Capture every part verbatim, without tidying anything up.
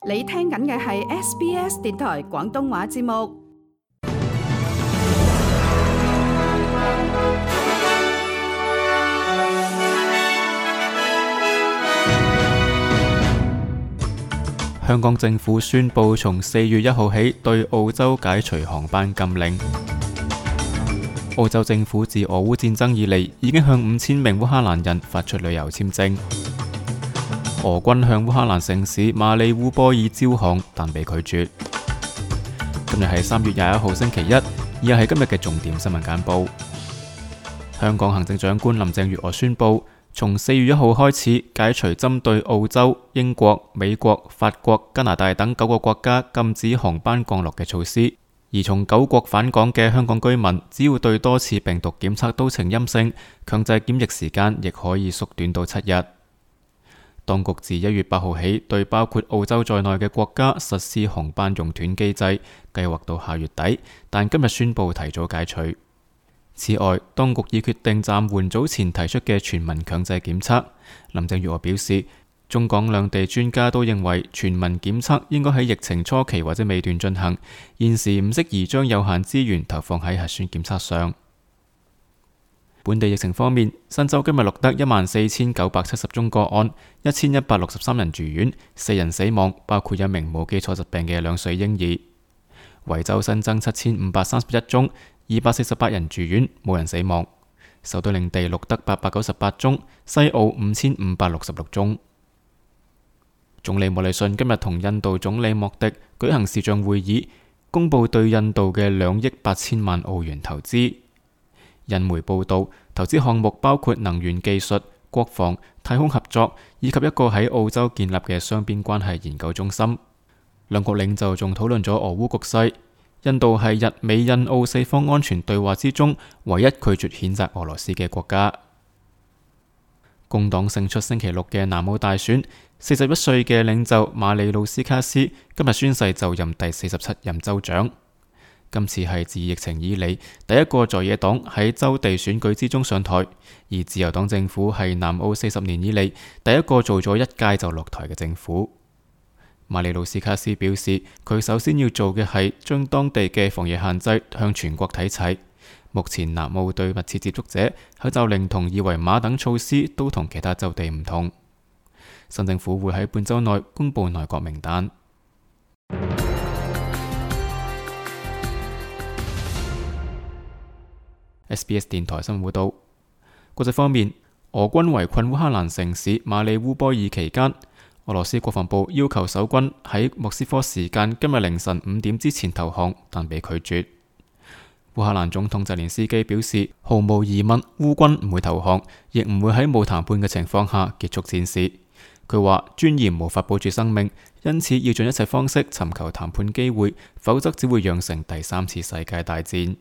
你聽緊嘅係 S B S 電台廣東話節目。香港政府宣布從四月一號起對澳洲解除航班禁令。澳洲政府自俄烏戰爭以嚟已經向五千名烏克蘭人發出旅遊簽證。俄軍向烏克蘭城市馬里烏波爾招降，但被拒絕。今日係三月廿一號星期一，以下係今日嘅重點新聞簡報。香港行政長官林鄭月娥宣布，從四月一號開始解除針對澳洲、英國、美國、法國、加拿大等九個國家禁止航班降落嘅措施，而從九國返港嘅香港居民，只要對多次病毒檢測都呈陰性，強制檢疫時間亦可以縮短到七日。當局自一月八號起對包括澳洲在內嘅國家實施航班熔斷機制，計劃到下月底，但今日宣布提早解除。此外，當局已決定暫緩早前提出嘅全民強制檢測。林鄭月娥表示，中港兩地專家都認為全民檢測應該喺疫情初期或者尾段進行，現時唔適宜將有限資源投放喺核酸檢測上。本地疫情方面，新州今日錄得一萬四千九百七十宗個案，一千一百六十三人住院，四人死亡，包括一名冇基礎疾病嘅兩歲嬰兒。維州新增七千五百三十一宗，二百四十八人住院，冇人死亡。首都領地錄得八百九十八宗，西澳五千五百六十六宗。總理莫里遜今日同印度總理莫迪舉行視像會議，公布對印度嘅兩億八千萬澳元投資。印媒報道，投資項目包括能源技術、國防、太空合作，以及一個喺澳洲建立嘅雙邊關係研究中心。兩國領袖仲討論咗俄烏局勢。印度係日美印澳四方安全對話之中唯一拒絕譴責俄羅斯嘅國家。工黨勝出星期六嘅南澳大選，四十一歲嘅領袖馬里魯斯卡斯今日宣誓就任第四十七任州長。今次係自疫情以嚟第一個在野黨喺州地選舉之中上台，而自由黨政府係南澳四十年以嚟第一個做咗一屆就落台嘅政府。馬里魯斯卡斯表示，佢首先要做嘅係將當地嘅防疫限制向全國睇齊。目前南澳對密切接觸者口罩令同二維碼等措施都同其他州地唔同。新政府會喺半週內公布內閣名單。S B S 電台新聞報道。國際方面，俄軍圍困烏克蘭城市馬里烏波爾期間，俄羅斯國防部要求守軍喺莫斯科時間今日凌晨五點之前投降，但被拒絕。烏克蘭總統澤連斯基表示，毫無疑問，烏軍唔會投降，亦唔會喺冇談判嘅情況下結束戰事。佢話尊嚴無法保住生命，因此要盡一切方式尋求談判機會，否則只會釀成第三次世界大戰。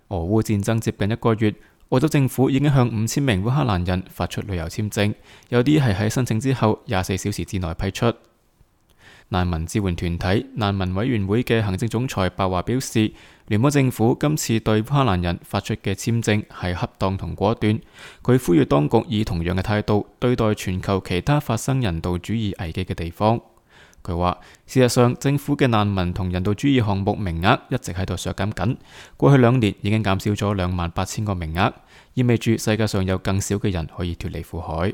俄烏戰爭接近一個月，澳洲政府已經向五千名烏克蘭人發出旅遊簽證，有啲係喺申請之後廿四小時之內批出。難民支援團體難民委員會嘅行政總裁白華表示，聯邦政府今次對烏克蘭人發出嘅簽證係恰當同果斷。佢呼籲當局以同樣嘅態度對待全球其他發生人道主義危機嘅地方。佢話，事實上政府嘅難民同人道主義項目名額一直喺度削減緊，過去兩年已經減少咗兩萬八千個名額，意味住世界上有更少嘅人可以脫離苦海。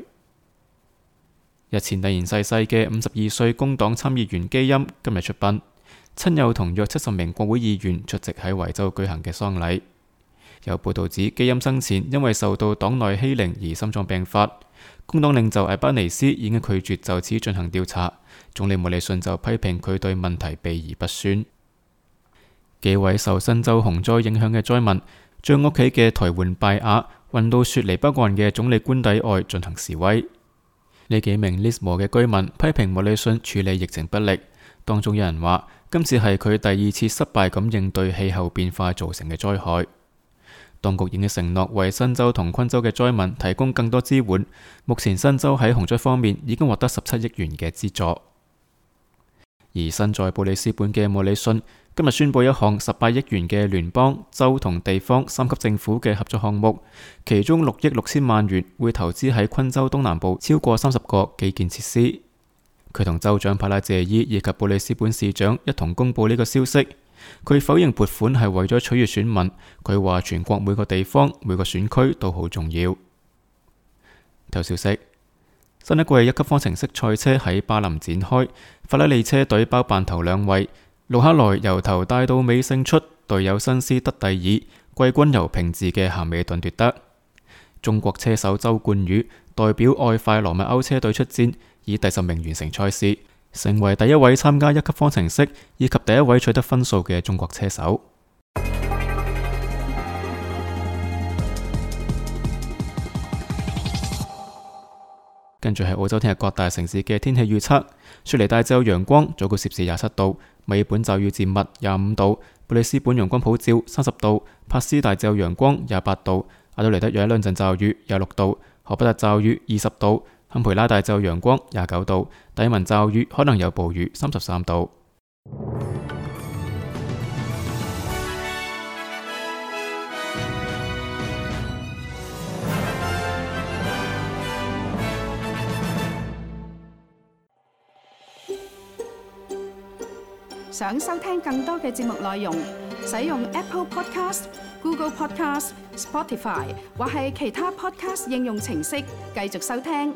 日前突然逝世嘅五十二歲工黨參議員基欽今日出殯，親友同約七十名國會議員出席喺維州舉行嘅喪禮。有報道指基欽生前因為受到黨內欺凌而心臟病發，工黨領袖艾巴尼斯已經拒絕就此進行調查，總理莫里遜就批評佢對問題避而不宣。幾位受新州洪災影響嘅災民將屋企嘅台灣拜亞運到雪梨北岸嘅總理官邸外進行示威。呢幾名 Lismore 嘅居民批評莫里遜處理疫情不力，當中有人話今次係佢第二次失敗咁應對氣候變化造成嘅災害。當局已經承諾為新州同昆州嘅災民提供更多支援，目前新州喺洪災方面已經獲得十七億元嘅資助。而身在布里斯本嘅莫里遜今日宣布一項十八億元嘅聯邦、州同地方三級政府嘅合作項目，其中六億六千萬元會投資喺昆州東南部超過三十個基建設施。佢同州長帕拉謝伊以及布里斯本市長一同公布呢個消息。佢否認撥款係為咗取悅選民，佢話全國每個地方每個選區都好重要。頭消息：新一季一級方程式賽車喺巴林展開，法拉利車隊包辦頭兩位，盧克萊由頭帶到尾勝出，隊友辛斯得第二，季軍由平治嘅咸美頓奪得。中國車手周冠宇代表愛快羅密歐車隊出戰，以第十名完成賽事，成為第一位參加一級方程式以及第一位取得分數嘅中國車手。跟住係澳洲聽日各大城市嘅天氣預測：雪梨大致有陽光，最高攝氏廿七度；墨爾本驟雨漸密，廿五度；布里斯本陽光普照，三十度；珀斯大致有陽光，廿八度；阿德萊德有一兩陣驟雨，廿六度；荷伯特驟雨，二十度；坎培拉大致有陽光，廿九度；達爾文驟雨，可能有暴雨，三十三度。想收聽更多嘅節目內容，使用 Apple Podcast、Google Podcast、Spotify 或係其他 Podcast 應用程式繼續收聽。